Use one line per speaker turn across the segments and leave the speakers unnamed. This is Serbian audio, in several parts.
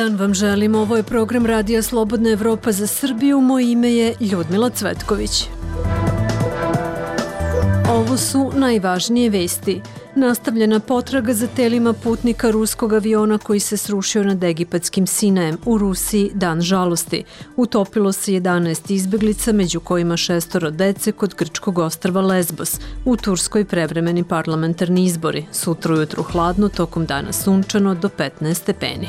dan vam želim. Ovo je program Radija Slobodna Evropa za Srbiju. Moje ime je Ljudmila Cvetković. Ovo su najvažnije vesti. Nastavljena potraga za telima putnika ruskog aviona koji se srušio nad egipatskim Sinajem. U Rusiji dan žalosti. Utopilo se 11 izbeglica, među kojima 6 dece kod grčkog ostrva Lesbos. U Turskoj prevremeni parlamentarni izbori. Sutra ujutru hladno, tokom dana sunčano do 15 stepeni.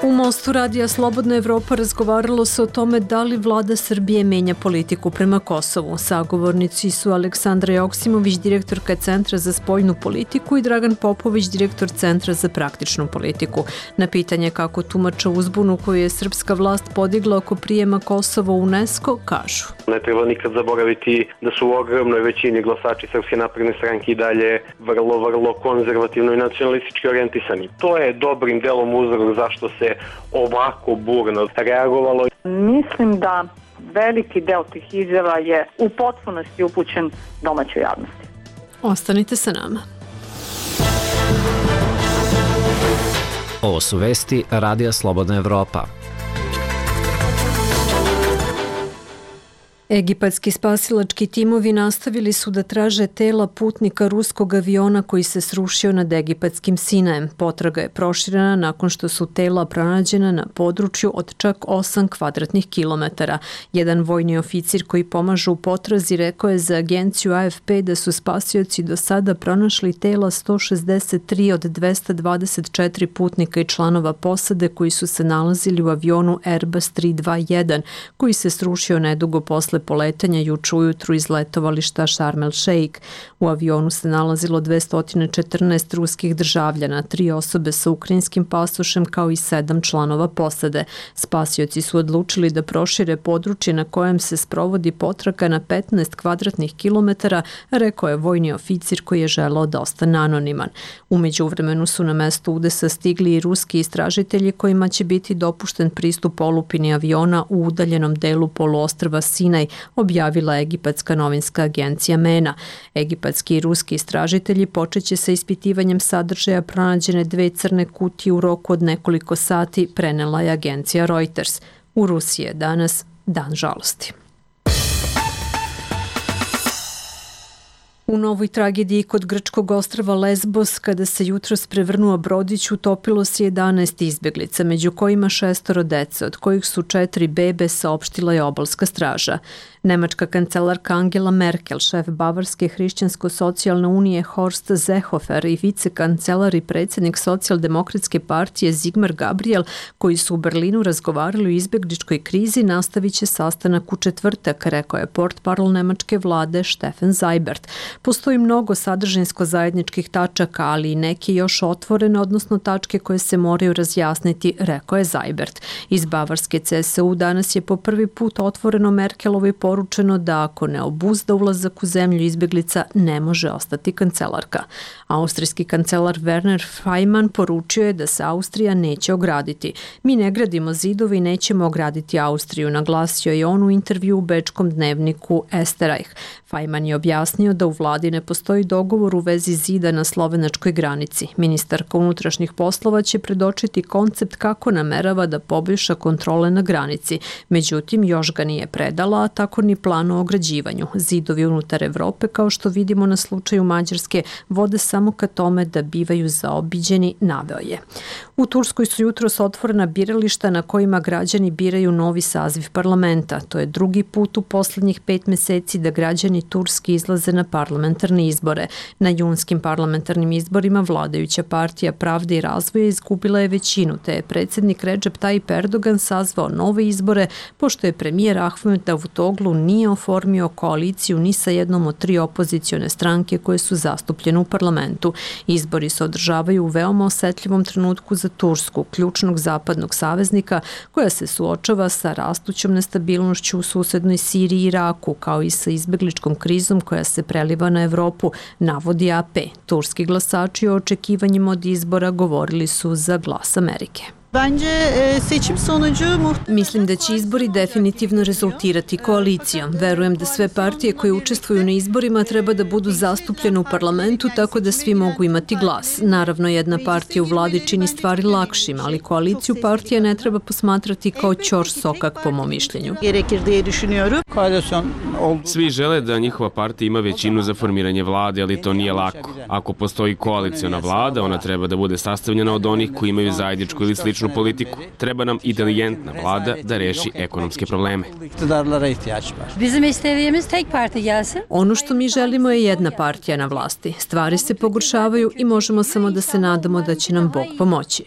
U Mostu Radija Slobodna Evropa razgovaralo se o tome da li vlada Srbije menja politiku prema Kosovu. Sagovornici su Aleksandra Joksimović, direktorka Centra za spoljnu politiku, i Dragan Popović, direktor Centra za praktičnu politiku. Na pitanje kako tumače uzbunu koju je srpska vlast podigla oko prijema Kosova u UNESCO, kažu:
Ne treba nikad zaboraviti da su u ogromnoj većini glasači Srpske napredne stranke i dalje vrlo konzervativno i nacionalistički orijentisani. To je dobrim delom uzrok zašto se ovako burno reagovalo.
Mislim da veliki deo tih izjava je u potpunosti upućen domaćoj javnosti.
Ostanite sa nama.
Ovo su vesti Radija Slobodna Evropa.
Egipatski spasilački timovi nastavili su da traže tela putnika ruskog aviona koji se srušio nad egipatskim Sinajem. Potraga je proširena nakon što su tela pronađena na području od čak 8 kvadratnih kilometara. Jedan vojni oficir koji pomaže u potrazi rekao je za agenciju AFP da su spasioci do sada pronašli tela 163 od 224 putnika i članova posade koji su se nalazili u avionu Airbus 321 koji se srušio nedugo posle poletanja juče ujutru iz letovališta Sharm el Sheikh. U avionu se nalazilo 214 ruskih državljana, 3 osobe sa ukrajinskim pasošem kao i 7 članova posade. Spasioci su odlučili da prošire područje na kojem se sprovodi potraga na 15 kvadratnih kilometara, rekao je vojni oficir koji je želeo da ostane anoniman. U međuvremenu su na mesto udesa stigli i ruski istražitelji kojima će biti dopušten pristup olupini aviona u udaljenom delu poluostrva Sinaj, objavila egipatska novinska agencija MENA. Egipatski i ruski istražitelji počeće sa ispitivanjem sadržaja pronađene 2 crne kutije u roku od nekoliko sati, prenela je agencija Reuters. U Rusiji je danas dan žalosti. U novoj tragediji kod grčkog ostrva Lesbos, kada se jutros prevrnuo brodić, utopilo se 11 izbeglica, među kojima 6 dece, od kojih su 4 bebe, saopštila je obalska straža. Nemačka kancelarka Angela Merkel, šef Bavarske hrišćansko-socijalne unije Horst Seehofer i vicekancelar i predsjednik socijaldemokratske partije Sigmar Gabriel, koji su u Berlinu razgovarali o izbegličkoj krizi, nastavit će sastanak u četvrtak, rekao je portparol nemačke vlade Steffen Seibert. Postoji mnogo sadržinsko zajedničkih tačaka, ali i neke još otvorene, odnosno tačke koje se moraju razjasniti, rekao je Seibert. Iz Bavarske CSU danas je po prvi put otvoreno Merkelovoj poručeno da ako ne obuzda ulazak u zemlju izbeglica, ne može ostati kancelarka. Austrijski kancelar Werner Faymann poručio je da se Austrija neće ograditi. Mi ne gradimo zidove i nećemo ograditi Austriju, naglasio je on u intervju u bečkom dnevniku Österreich. Faymann je objasnio da u vladi ne postoji dogovor u vezi zida na slovenačkoj granici. Ministarka unutrašnjih poslova će predočiti koncept kako namerava da poboljša kontrole na granici. Međutim, još ga nije predala, a tako ni plan o ograđivanju. Zidovi unutar Evrope, kao što vidimo na slučaju Mađarske, vode samo ka tome da bivaju zaobiđeni, naveo je. U Turskoj su jutros otvorena birališta na kojima građani biraju novi saziv parlamenta. To je drugi put u poslednjih 5 meseci da građani Turski izlaze na parlamentarne izbore. Na junskim parlamentarnim izborima vladajuća partija Pravde i razvoja izgubila je većinu, te je predsjednik Recep Tayyip Erdogan sazvao nove izbore, pošto je premijer Ahmet Davutoglu nije oformio koaliciju ni sa jednom od 3 opozicione stranke koje su zastupljene u parlamentu. Izbori se održavaju u veoma osetljivom trenutku za Tursku, ključnog zapadnog saveznika, koja se suočava sa rastućom nestabilnošću u susednoj Siriji i Iraku, kao i sa izbegličkom krizom koja se preliva na Evropu, navodi AP. Turski glasači o očekivanjima od izbora govorili su za Glas Amerike. Mislim da će izbori definitivno rezultirati koalicijom. Verujem da sve partije koje učestvuju na izborima treba da budu zastupljene u parlamentu tako da svi mogu imati glas. Naravno, jedna partija u vladi čini stvari lakšim, ali koaliciju partija ne treba posmatrati kao ćor sokak po mom mišljenju.
Svi žele da njihova partija ima većinu za formiranje vlade, ali to nije lako. Ako postoji koaliciona vlada, ona treba da bude sastavljena od onih koji imaju zajedničku ili sličnu politiku. Treba nam inteligentna vlada da reši ekonomske probleme.
Ono što mi želimo je jedna partija na vlasti. Stvari se pogoršavaju i možemo samo da se nadamo da će nam Bog pomoći.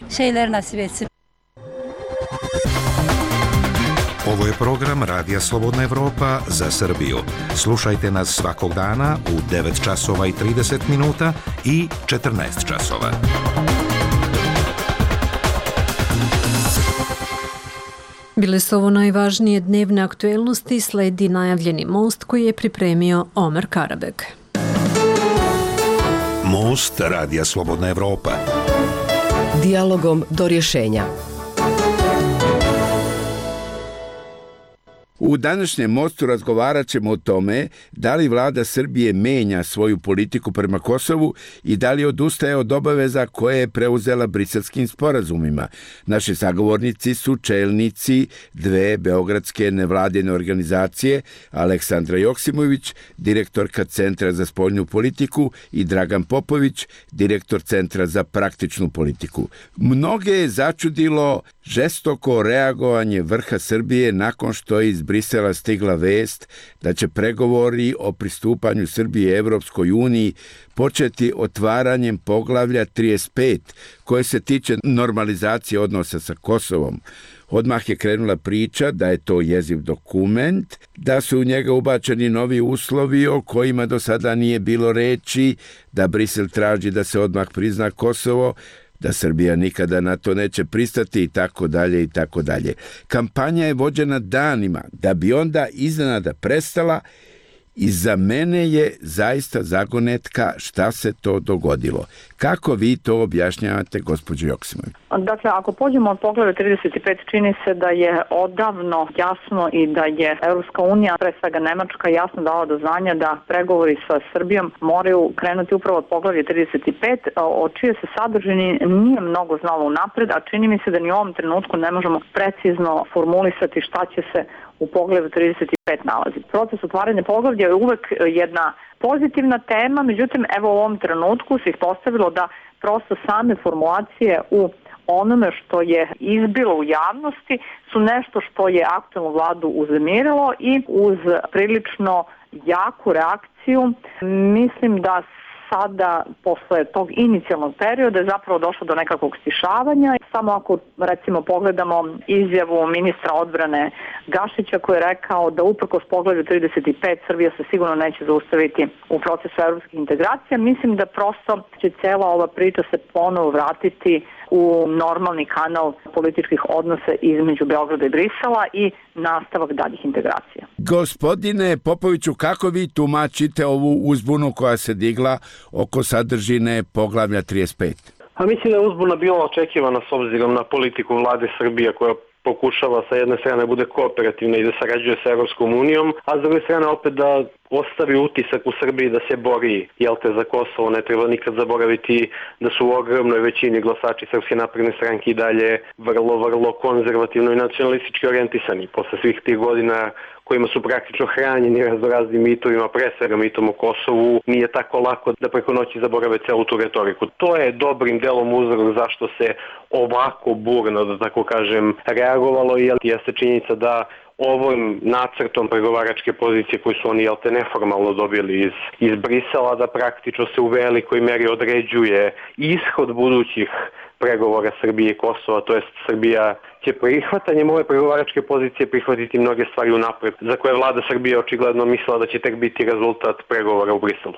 Ovo je program Radija Slobodna Evropa za Srbiju. Slušajte nas svakog dana u 9 časova i 30 minuta i 14 časova.
Bile su ovo najvažnije dnevne aktuelnosti, sledi najavljeni most koji je pripremio Omer Karabek.
Most Radija Slobodna Evropa.
Dijalogom do rješenja.
U današnjem mostu razgovarat ćemo o tome da li vlada Srbije menja svoju politiku prema Kosovu i da li odustaje od obaveza koje je preuzela Briselskim sporazumima. Naši sagovornici su čelnici dve beogradske nevladine organizacije, Aleksandra Joksimović, direktorka Centra za spoljnu politiku, i Dragan Popović, direktor Centra za praktičnu politiku. Mnoge je začudilo žestoko reagovanje vrha Srbije nakon što je iz Brisela stigla vest da će pregovori o pristupanju Srbije Evropskoj uniji početi otvaranjem poglavlja 35 koje se tiče normalizacije odnosa sa Kosovom. Odmah je krenula priča da je to jeziv dokument, da su u njega ubačeni novi uslovi o kojima do sada nije bilo reči, da Brisel traži da se odmah prizna Kosovo, da Srbija nikada na to neće pristati i tako dalje i tako dalje. Kampanja je vođena danima da bi onda iznenada prestala i za mene je zaista zagonetka šta se to dogodilo. Kako vi to objašnjavate, gospođo Joksimović?
Dakle, ako pođemo od poglavlja 35, čini se da je odavno jasno i da je Evropska unija, pre svega Nemačka, jasno dala do znanja da pregovori sa Srbijom moraju krenuti upravo od poglavlja 35, o čije se sadržini nije mnogo znalo unapred, a čini mi se da ni u ovom trenutku ne možemo precizno formulisati šta će se u poglavlju 35 nalazi. Proces otvaranja poglavlja je uvek jedna pozitivna tema, međutim, evo u ovom trenutku se ispostavilo da prosto same formulacije u onome što je izbilo u javnosti su nešto što je aktuelnu vladu uznemirilo i uz prilično jaku reakciju mislim da sada, posle tog inicijalnog perioda, je zapravo došlo do nekakvog stišavanja. Samo ako, recimo, pogledamo izjavu ministra odbrane Gašića koji je rekao da uprkos poglavlju 35 Srbija se sigurno neće zaustaviti u procesu evropskih integracija, mislim da prosto će cela ova priča se ponovo vratiti u normalni kanal političkih odnosa između Beograda i Brisela i nastavak daljih integracija.
Gospodine Popoviću, kako vi tumačite ovu uzbunu koja se digla oko sadržine poglavlja 35?
A mislim da je uzbuna bila očekivana s obzirom na politiku vlade Srbije koja pokušava sa jedne strane bude kooperativna i da sarađuje sa Evropskom unijom, a s druge strane opet da ostavi utisak u Srbiji da se bori, za Kosovo. Ne treba nikad zaboraviti da su u ogromnoj većini glasači Srpske napredne stranke i dalje vrlo konzervativno i nacionalistički orijentisani. Posle svih tih godina kojima su praktično hranjeni raznoraznim mitovima, pre svega mitom o Kosovu, nije tako lako da preko noći zaborave celu tu retoriku. To je dobrim delom uzrok zašto se ovako burno, da tako kažem, reagovalo i jeste činjenica da ovim nacrtom pregovaračke pozicije koju su oni neformalno dobili iz Brisela, da praktično se u velikoj meri određuje ishod budućih pregovora Srbije i Kosova, to jest Srbija će prihvatanjem ove pregovaračke pozicije prihvatiti mnoge stvari unapred, za koje vlada Srbije očigledno mislila da će tek biti rezultat pregovora u Briselu.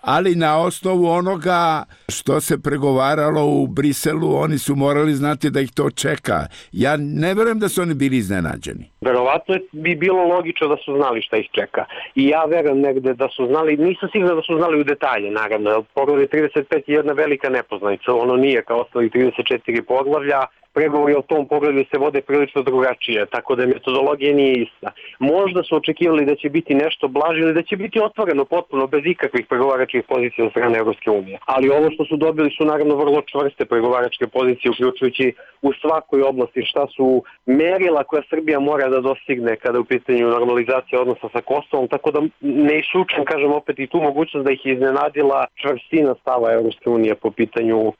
Ali na osnovu onoga što se pregovaralo u Briselu, oni su morali znati da ih to čeka. Ja ne verujem da su oni bili iznenađeni.
Verovatno bi bilo logično da su znali šta ih čeka. I ja verujem negde da su znali, nisam siguran da su znali u detalje, naravno. Poglavlje 35 je jedna velika nepoznanica, ono nije kao ostali 34 poglavlja. Pregovori o tom pogledu se vode prilično drugačije, tako da metodologija nije ista. Možda su očekivali da će biti nešto blaže ili da će biti otvoreno potpuno bez ikakvih pregovaračkih pozicija od strane Evropske unije. Ali ovo što su dobili su naravno vrlo čvrste pregovaračke pozicije, uključujući u svakoj oblasti šta su merila koja Srbija mora da dostigne kada je u pitanju normalizacija odnosa sa Kosovom, tako da ne isključujem, kažem opet, i tu mogućnost da ih iznenadila čvrstina stava Evropske unije po pitanju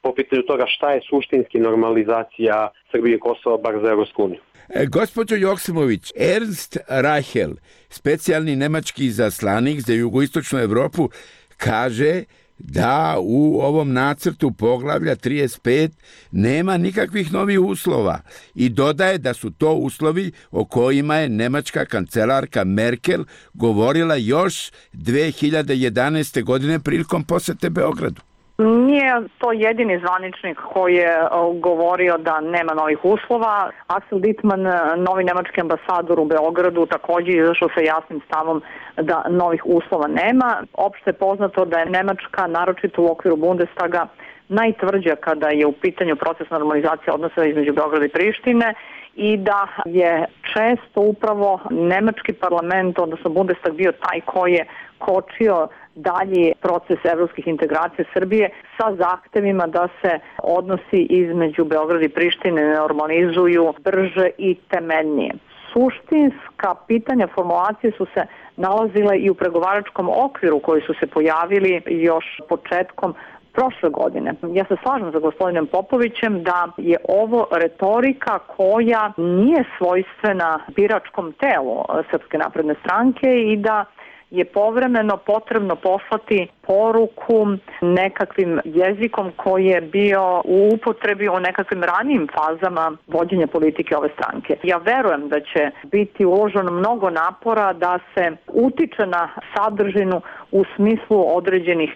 toga šta je suštinski normalizacija Srbije i Kosova, bar za Evropsku uniju.
Gospođo Joksimović, Ernst Reichel, specijalni nemački izaslanik za jugoistočnu Evropu, kaže da u ovom nacrtu poglavlja 35 nema nikakvih novih uslova i dodaje da su to uslovi o kojima je nemačka kancelarka Merkel govorila još 2011. godine prilikom posete Beogradu.
Nije to jedini zvaničnik koji je govorio da nema novih uslova. Axel Dittmann, novi nemački ambasador u Beogradu, također izašao sa jasnim stavom da novih uslova nema. Opšte je poznato da je Nemačka, naročito u okviru Bundestaga, najtvrđa kada je u pitanju proces normalizacije odnosa između Beograda i Prištine i da je često upravo nemački parlament, odnosno Bundestag, bio taj koji je kočio dalji proces evropskih integracija Srbije sa zahtevima da se odnosi između Beograda i Prištine normalizuju brže i temeljnije. Suštinska pitanja formulacije su se nalazile i u pregovaračkom okviru koji su se pojavili još početkom prošle godine. Ja se slažem sa gospodinom Popovićem da je ovo retorika koja nije svojstvena biračkom telu Srpske napredne stranke i da je povremeno potrebno poslati poruku nekakvim jezikom koji je bio u upotrebi u nekakvim ranijim fazama vođenja politike ove stranke. Ja verujem da će biti uloženo mnogo napora da se utiče na sadržinu u smislu određenih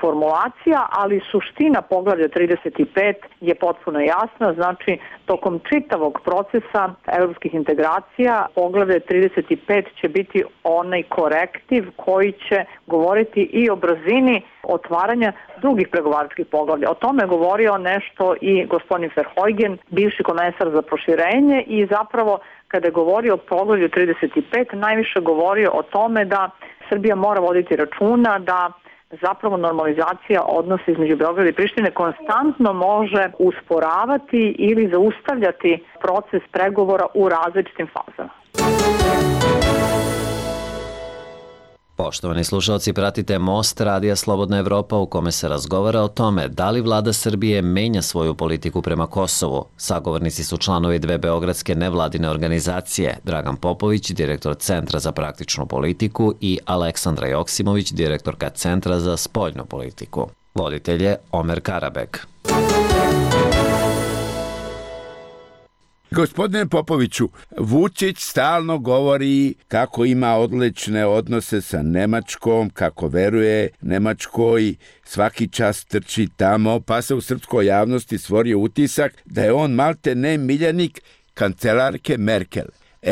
formulacija, ali suština poglavlja 35 je potpuno jasna, znači tokom čitavog procesa evropskih integracija poglavlje 35 će biti onaj korektiv koji će govoriti i o brzini otvaranja drugih pregovaračkih poglavlja. O tome je govorio nešto i gospodin Verheugen, bivši komesar za proširenje, i zapravo kada je govorio o poglavlju 35 najviše govorio o tome da Srbija mora voditi računa da zapravo normalizacija odnosa između Beograda i Prištine konstantno može usporavati ili zaustavljati proces pregovora u različitim fazama.
Poštovani slušalci, pratite Most Radija Slobodna Evropa u kome se razgovara o tome da li vlada Srbije menja svoju politiku prema Kosovu. Sagovornici su članovi dve beogradske nevladine organizacije, Dragan Popović, direktor Centra za praktičnu politiku, i Aleksandra Joksimović, direktorka Centra za spoljnu politiku. Voditelj je Omer Karabek.
Gospodine Popoviću, Vučić stalno govori kako ima odlične odnose sa Nemačkom, kako veruje Nemačkoj, svaki čas trči tamo, pa se u srpskoj javnosti stvorio utisak da je on malte ne miljenik kancelarke Merkel.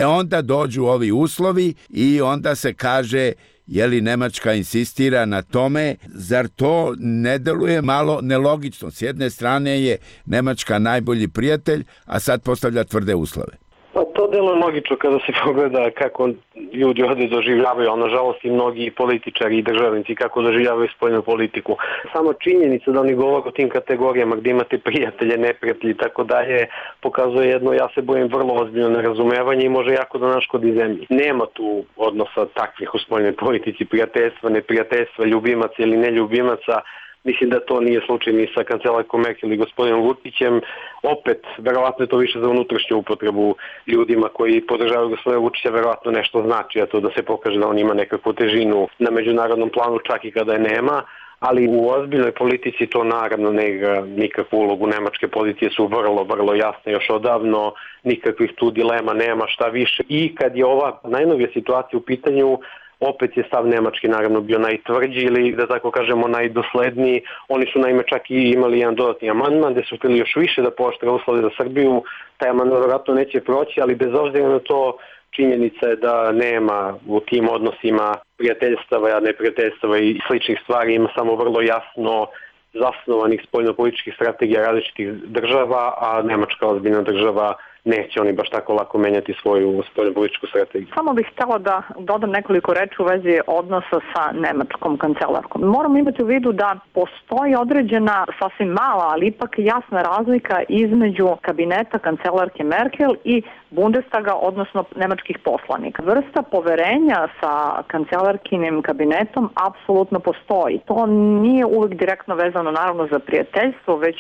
Onda dođu ovi uslovi i onda se kaže, je li Nemačka insistira na tome, zar to ne deluje malo nelogično? S jedne strane je Nemačka najbolji prijatelj, a sad postavlja tvrde uslove.
Pa to deluje logično kada se pogleda kako ljudi ovde doživljavaju, a nažalost i mnogi političari i državnici kako doživljavaju spoljnu politiku. Samo činjenica da oni govore o tim kategorijama gde imate prijatelje, neprijatelji i tako dalje, pokazuje jedno, ja se bojim, vrlo ozbiljno nerazumevanje i može jako da naškodi zemlji. Nema tu odnosa takvih u spoljnoj politici, prijateljstva, neprijateljstva, ljubimaca ili neljubimaca. Mislim da to nije slučaj ni sa kancelarkom Merkel i gospodinom Vučićem. Opet, verovatno je to više za unutrašnju upotrebu ljudima koji podržavaju gospodina Vučića, verovatno nešto znači, a to da se pokaže da on ima nekakvu težinu na međunarodnom planu, čak i kada je nema. Ali u ozbiljnoj politici to naravno ne igra nikakvu ulogu. Nemačke pozicije su vrlo jasne još odavno, nikakvih tu dilema nema, šta više. I kad je ova najnovija situacija u pitanju, opet je stav Nemački naravno bio najtvrđi ili, da tako kažemo, najdosledniji. Oni su naime čak i imali jedan dodatni amandman gde su hteli još više da pooštre uslove za Srbiju. Taj amandman vjerojatno neće proći, ali bez obzira na to Činjenica je da nema u tim odnosima prijateljstava, neprijateljstava i sličnih stvari, ima samo vrlo jasno zasnovanih spoljnopolitičkih strategija različitih država, a Nemačka ozbiljna država neće oni baš tako lako menjati svoju spoljnopolitičku strategiju.
Samo bih htjela da dodam nekoliko reči u vezi odnosa sa nemačkom kancelarkom. Moramo imati u vidu da postoji određena, sasvim mala, ali ipak jasna razlika između kabineta kancelarke Merkel i Bundestaga, odnosno nemačkih poslanika. Vrsta poverenja sa kancelarkinim kabinetom apsolutno postoji. To nije uvijek direktno vezano naravno za prijateljstvo, već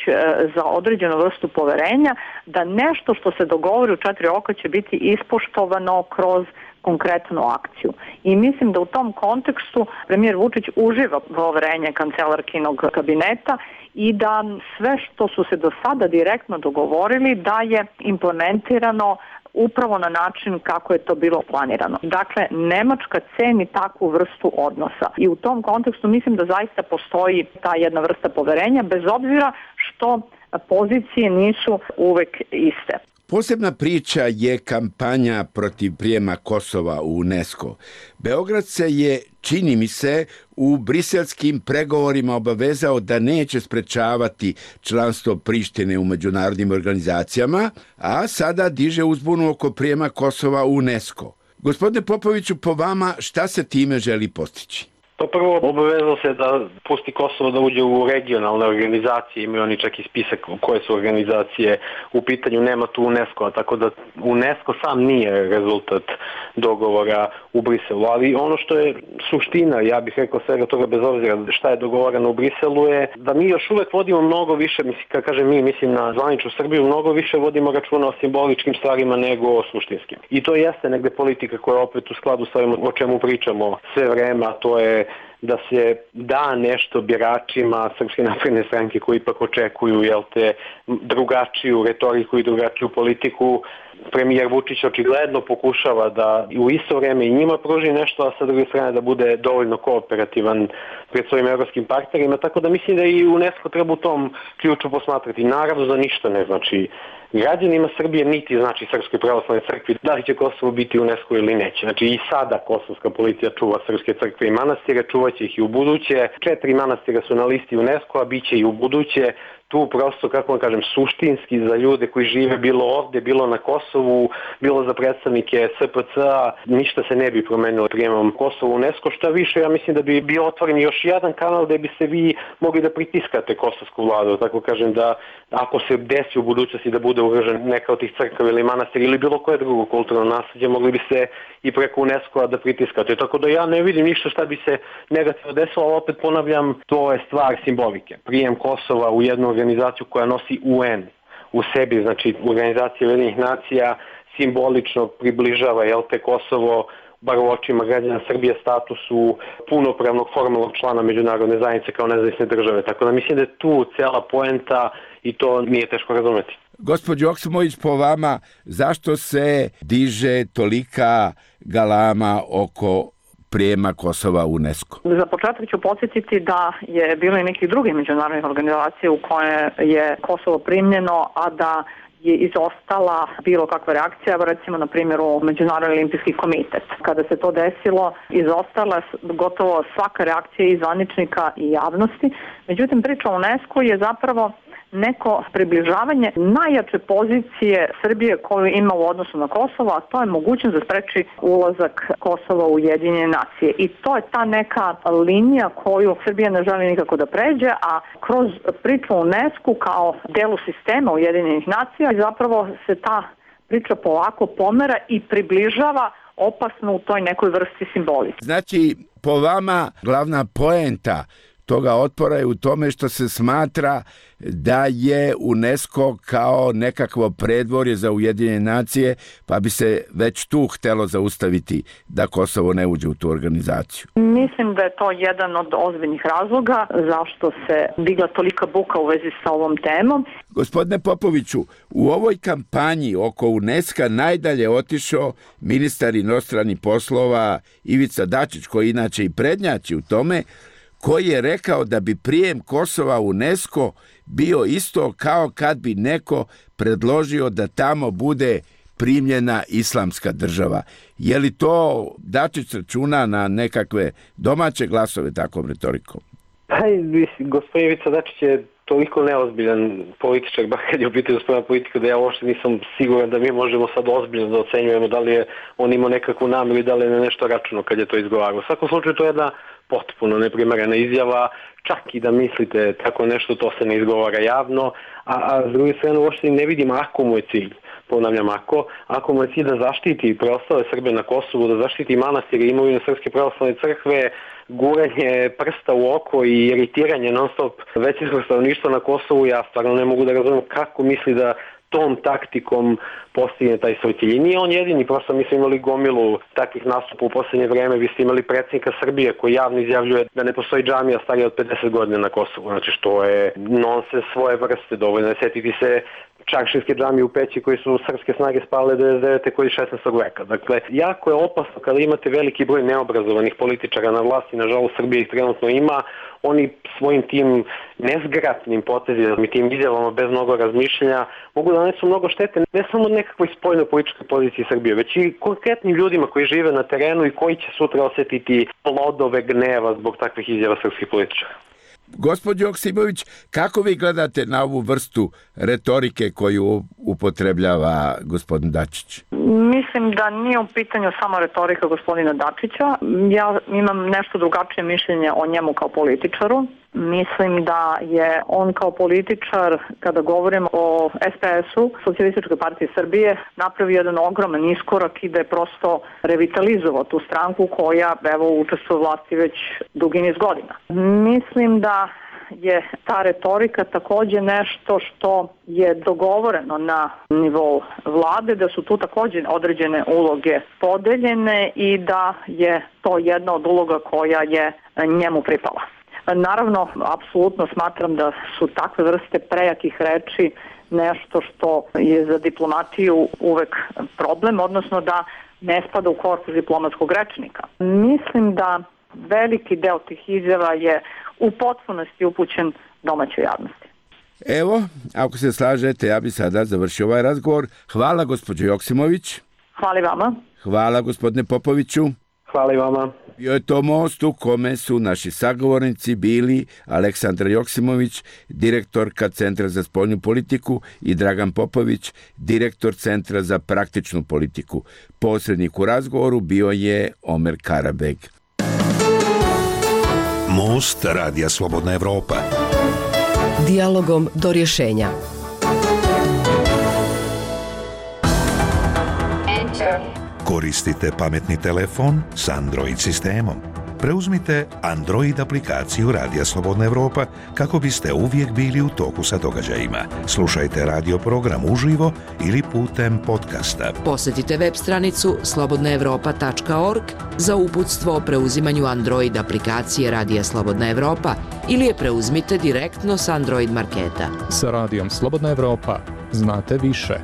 za određenu vrstu poverenja da nešto što se dogovori u 4 oka će biti ispoštovano kroz konkretnu akciju. I mislim da u tom kontekstu premijer Vučić uživa poverenje kancelarkinog kabineta i da sve što su se do sada direktno dogovorili da je implementirano upravo na način kako je to bilo planirano. Dakle, Nemačka ceni takvu vrstu odnosa i u tom kontekstu mislim da zaista postoji ta jedna vrsta poverenja, bez obzira što pozicije nisu uvek iste.
Posebna priča je kampanja protiv prijema Kosova u UNESCO. Beograd se je, čini mi se, u briselskim pregovorima obavezao da neće sprečavati članstvo Prištine u međunarodnim organizacijama, a sada diže uzbunu oko prijema Kosova u UNESCO. Gospodine Popoviću, po vama šta se time želi postići?
Pa prvo, obavezao se da pusti Kosovo da uđe u regionalne organizacije, imaju oni čak i spisak koje su organizacije u pitanju, nema tu UNESCO-a, tako da UNESCO sam nije rezultat dogovora u Briselu, ali ono što je suština, ja bih rekao svega toga bez obzira šta je dogovoreno u Briselu je da mi još uvek vodimo mnogo više, kad kažem mi, mislim na zvaničnu Srbiju, mnogo više vodimo računa o simboličkim stvarima nego o suštinskim. I to jeste negde politika koja je opet u skladu sa ovim o čemu pričamo sve vreme, a to je da se da nešto biračima Srpske napredne stranke koji ipak očekuju drugačiju retoriku i drugačiju politiku. Premijer Vučić očigledno pokušava da u isto vreme i njima pruži nešto, a sa druge strane da bude dovoljno kooperativan pred svojim evropskim partnerima, tako da mislim da i UNESCO treba u tom ključu posmatrati. Naravno da ništa ne znači građanima Srbije, niti znači Srpskoj pravoslavnoj crkvi da li će Kosovo biti u UNESCO ili neće. Znači i sada kosovska policija čuva srpske crkve i manastire, čuvaće ih i u buduće. 4 manastira su na listi UNESCO-a, bit će i u buduće. Tu prosto, kako vam kažem, suštinski za ljude koji žive bilo ovde, bilo na Kosovu, bilo za predstavnike SPC-a, ništa se ne bi promenilo prijemom Kosova u UNESCO. Šta više, ja mislim da bi bio otvoren još jedan kanal gde bi se vi mogli da pritiskate kosovsku vladu. Tako kažem da ako se desi u budućnosti da bude ugrožen neka od tih crkava ili manastira ili bilo koje drugo kulturno nasleđe, mogli bi se i preko UNESCO-a da pritiskate. Tako da ja ne vidim ništa šta bi se negativno desilo, ali opet ponavljam, to je stvar simbolike. Prijem Kosova u jednu organizaciju koja nosi UN u sebi, znači organizacija Ujedinjenih nacija, simbolično približava Kosovo, bar u očima građana Srbije, statusu punopravnog formalnog člana međunarodne zajednice kao nezavisne države. Tako da mislim da je tu cela poenta i to nije teško razumeti.
Gospođo Oksimović, po vama, zašto se diže tolika galama oko prijema Kosova u UNESCO?
Za početak ću podsjetiti da je bilo i nekih drugih međunarodnih organizacija u koje je Kosovo primljeno, a da je izostala bilo kakva reakcija, recimo na primjeru Međunarodni olimpijski komitet. Kada se to desilo, izostala gotovo svaka reakcija i zvaničnika i javnosti. Međutim, priča o UNESCO je zapravo neko približavanje najjače pozicije Srbije koju ima u odnosu na Kosovo, a to je mogućnost da spreči ulazak Kosova u Ujedinjene nacije. I to je ta neka linija koju Srbija ne želi nikako da pređe, a kroz priču o UNESCO kao delu sistema Ujedinjenih nacija zapravo se ta priča polako pomera i približava opasno u toj nekoj vrsti simbolike.
Znači, po vama glavna poenta toga otpora je u tome što se smatra da je UNESCO kao nekakvo predvorje za Ujedinjene nacije, pa bi se već tu htelo zaustaviti da Kosovo ne uđe u tu organizaciju.
Mislim da je to jedan od ozbiljnih razloga zašto se digla tolika buka u vezi sa ovom temom.
Gospodine Popoviću, u ovoj kampanji oko UNESCO najdalje otišao ministar inostranih poslova Ivica Dačić, koji inače i prednjači u tome, koji je rekao da bi prijem Kosova u UNESCO bio isto kao kad bi neko predložio da tamo bude primljena islamska država. Je li to Dačić računa na nekakve domaće glasove takvom retorikom?
Gospodin Ivica Dačić je toliko neozbiljan političar, bar kad je u pitanju spremna politika, da ja uopšte nisam siguran da mi možemo sad ozbiljno da ocenjujemo da li je on imao nekakvu nameru i da li je na nešto računao kad je to izgovarao. U svakom slučaju to je jedna potpuno neprimerena izjava, čak i da mislite tako nešto, to se ne izgovara javno, a s druge strane uopšte ne vidim ako mu je cilj. Ponavljam, ako mu je cilj da zaštiti preostale Srbe na Kosovu, da zaštiti manastire i imovinu Srpske pravoslavne crkve, guranje prsta u oko i iritiranje non-stop većinskog stanovništva na Kosovu, ja stvarno ne mogu da razumijem kako misli da tom taktikom postigne taj svoj cilj. I nije on jedini, prosto mi smo imali gomilu takvih nastupa u poslednje vreme. Vi ste imali predsjednika Srbije koji javno izjavljuje da ne postoji džamija starija od 50 godina na Kosovu. Znači što je nonsens svoje vrste. Dovoljno je setiti se Čaršinske džamije u Peći koji su srpske snage spale 99. koji 16. veka. Dakle, jako je opasno kada imate veliki broj neobrazovanih političara na vlasti, nažalost Srbija ih trenutno ima, oni svojim tim nezgratnim potezima i tim izjavama bez mnogo razmišljanja mogu da nanesu mnogo štete ne samo od nekakvoj spoljnoj političkoj poziciji Srbije, već i konkretnim ljudima koji žive na terenu i koji će sutra osetiti plodove gneva zbog takvih izjava srpskih političara.
Gospođo Joksimović, kako vi gledate na ovu vrstu retorike koju upotrebljava gospodin Dačić?
Mislim da nije u pitanju samo retorika gospodina Dačića. Ja imam nešto drugačije mišljenje o njemu kao političaru. Mislim da je on kao političar, kada govorimo o SPS-u, Socijalističkoj partiji Srbije, napravio jedan ogroman iskorak i da je prosto revitalizovao tu stranku koja učestvuje u vlasti već dugi niz godina. Mislim da je ta retorika takođe nešto što je dogovoreno na nivou vlade, da su tu takođe određene uloge podeljene i da je to jedna od uloga koja je njemu pripala. Naravno, apsolutno smatram da su takve vrste prejakih reči nešto što je za diplomatiju uvek problem, odnosno da ne spada u korpus diplomatskog rečnika. Mislim da veliki deo tih izjava je u potpunosti upućen domaćoj javnosti.
Evo, ako se slažete, ja bi sada završio ovaj razgovor. Hvala gospođo Joksimović.
Hvala i vama.
Hvala gospodine Popoviću.
Hvala i vama.
Bio je to most u kome su naši sagovornici bili Aleksandra Joksimović, direktorka Centra za spoljnu politiku, i Dragan Popović, direktor Centra za praktičnu politiku. Posrednik u razgovoru bio je Omer Karabeg.
Most Radija Slobodna Evropa.
Dijalogom do rješenja.
Koristite pametni telefon s Android sistemom. Preuzmite Android aplikaciju Radija Slobodna Evropa kako biste uvijek bili u toku sa događajima. Slušajte radio program uživo ili putem podcasta.
Posjetite web stranicu slobodnaevropa.org za uputstvo o preuzimanju Android aplikacije Radija Slobodna Evropa ili je preuzmite direktno s Android marketa.
Sa Radijom Slobodna Evropa znate više.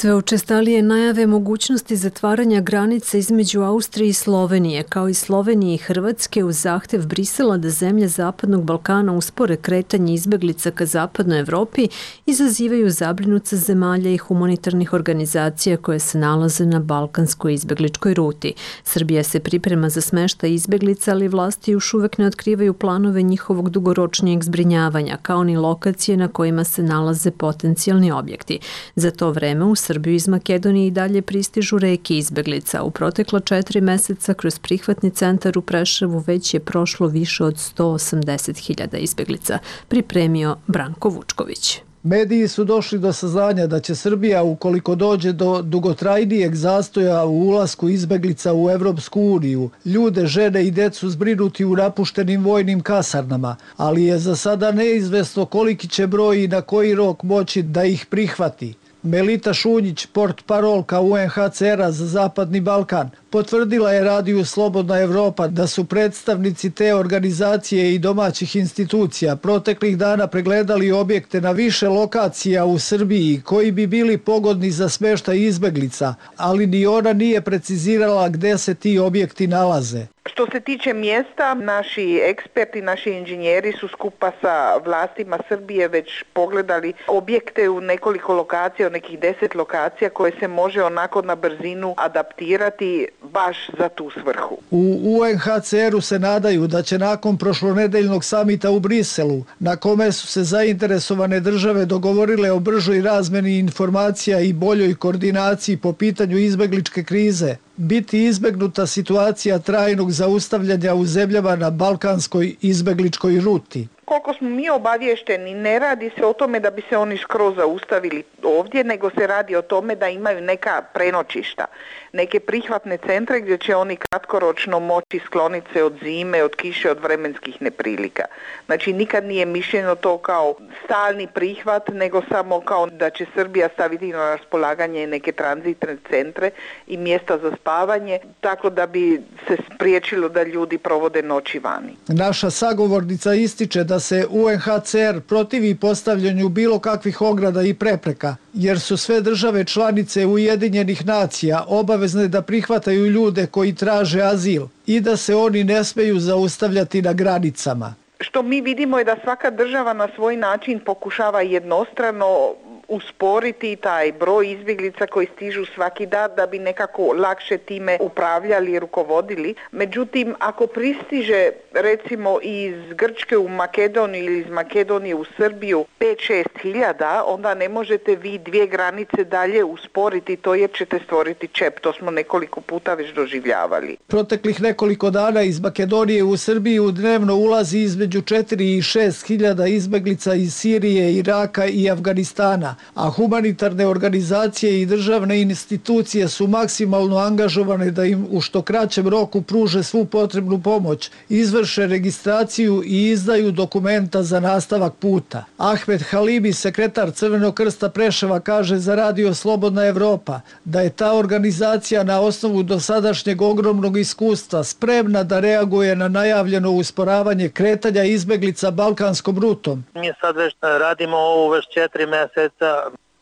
Sve učestalije najave mogućnosti zatvaranja granice između Austrije i Slovenije, kao i Slovenije i Hrvatske, uz zahtev Brisela da zemlje Zapadnog Balkana uspore kretanje izbeglica ka Zapadnoj Evropi, izazivaju zabrinutost zemalja i humanitarnih organizacija koje se nalaze na balkanskoj izbegličkoj ruti. Srbija se priprema za smeštaj izbeglica, ali vlasti još uvek ne otkrivaju planove njihovog dugoročnijeg zbrinjavanja, kao ni lokacije na kojima se nalaze potencijalni objekti. Za to vreme u Srbiju iz Makedonije i dalje pristižu reke izbeglica. U protekla 4 meseca kroz prihvatni centar u Preševu već je prošlo više od 180.000 izbeglica, pripremio Branko Vučković.
Mediji su došli do saznanja da će Srbija, ukoliko dođe do dugotrajnijeg zastoja u ulasku izbeglica u Evropsku uniju, ljude, žene i decu zbrinuti u napuštenim vojnim kasarnama, ali je za sada neizvesno koliki će broj i na koji rok moći da ih prihvati. Melita Šunjić, portparolka UNHCR-a za Zapadni Balkan, Potvrdila je Radiju Slobodna Evropa da su predstavnici te organizacije i domaćih institucija proteklih dana pregledali objekte na više lokacija u Srbiji koji bi bili pogodni za smeštaj izbeglica, ali ni ona nije precizirala gde se ti objekti nalaze.
Što se tiče mjesta, naši eksperti, naši inženjeri su skupa sa vlastima Srbije već pogledali objekte u nekoliko lokacija, u nekih 10 lokacija koje se može onako na brzinu adaptirati baš za tu svrhu.
U UNHCR-u se nadaju da će nakon prošlonedeljnog samita u Briselu, na kome su se zainteresovane države dogovorile o bržoj razmeni informacija i boljoj koordinaciji po pitanju izbegličke krize, biti izbegnuta situacija trajnog zaustavljanja u zemljama na balkanskoj izbegličkoj ruti.
Koliko smo mi obavješteni, ne radi se o tome da bi se oni skroz zaustavili ovdje, nego se radi o tome da imaju neka prenoćišta, neke prihvatne centre gdje će oni kratkoročno moći skloniti se od zime, od kiše, od vremenskih neprilika. Znači nikad nije mišljeno to kao stalni prihvat, nego samo kao da će Srbija staviti na raspolaganje neke tranzitne centre i mjesta za spavanje, tako da bi se spriječilo da ljudi provode noći vani.
Naša sagovornica ističe da se UNHCR protivi postavljanju bilo kakvih ograda i prepreka, jer su sve države članice Ujedinjenih nacija obavezne da prihvataju ljude koji traže azil i da se oni ne smeju zaustavljati na granicama.
Što mi vidimo je da svaka država na svoj način pokušava jednostrano usporiti taj broj izbjeglica koji stižu svaki dan da bi nekako lakše time upravljali i rukovodili. Međutim, ako pristiže recimo iz Grčke u Makedoniju ili iz Makedonije u Srbiju 5-6 hiljada, onda ne možete vi 2 granice dalje usporiti to jer ćete stvoriti čep. To smo nekoliko puta već doživljavali.
Proteklih nekoliko dana iz Makedonije u Srbiju dnevno ulazi između 4 i 6 hiljada izbeglica iz Sirije, Iraka i Afganistana, a humanitarne organizacije i državne institucije su maksimalno angažovane da im u što kraćem roku pruže svu potrebnu pomoć, izvrše registraciju i izdaju dokumenta za nastavak puta. Ahmed Halibi, sekretar Crvenog krsta Preševa, kaže za Radio Slobodna Evropa da je ta organizacija na osnovu dosadašnjeg ogromnog iskustva spremna da reaguje na najavljeno usporavanje kretanja izbeglica balkanskom rutom.
Mi sad već radimo ovo već 4 mjeseca,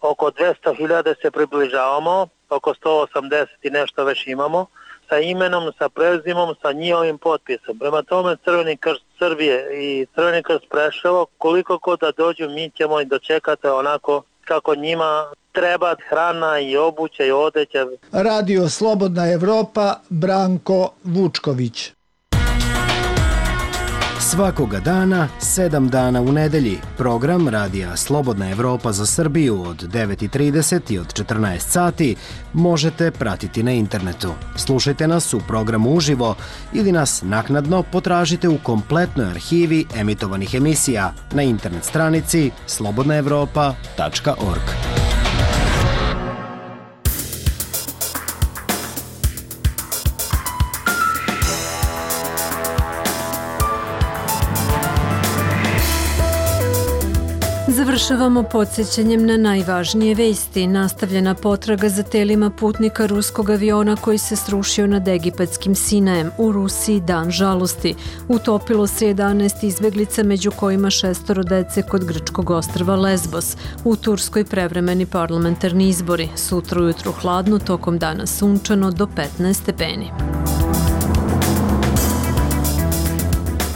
oko 200.000 se približavamo, oko 180 i nešto već imamo, sa imenom, sa prezimom, sa njihovim potpisom. Prema tome Crveni krst Srbije i Crveni krst Preševo, koliko god da dođu, mi ćemo i dočekati onako kako njima treba, hrana i obuća i odeća.
Radio Slobodna Evropa, Branko Vučković.
Svakoga dana, 7 dana u nedelji, program Radija Slobodna Evropa za Srbiju od 9:30 i od 14 sati možete pratiti na internetu. Slušajte nas u programu uživo ili nas naknadno potražite u kompletnoj arhivi emitovanih emisija na internet stranici slobodnaevropa.org.
Završavamo podsjećanjem na najvažnije vesti. Nastavljena potraga za telima putnika ruskog aviona koji se srušio nad egipatskim Sinajem. U Rusiji dan žalosti. Utopilo se 11 izbeglica, među kojima 6 dece kod grčkog ostrva Lesbos. U Turskoj prevremeni parlamentarni izbori. Sutra ujutru hladno, tokom dana sunčano do 15 stepeni.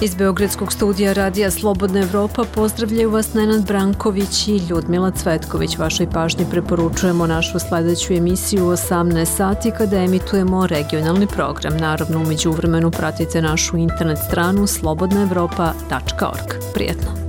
Iz Beogradskog studija Radija Slobodna Evropa pozdravljaju vas Nenad Branković i Ljudmila Cvetković. Vašoj pažnji preporučujemo našu sledeću emisiju u 18 sati kada emitujemo regionalni program. Naravno, u međuvremenu pratite našu internet stranu slobodnaevropa.org. Prijetno!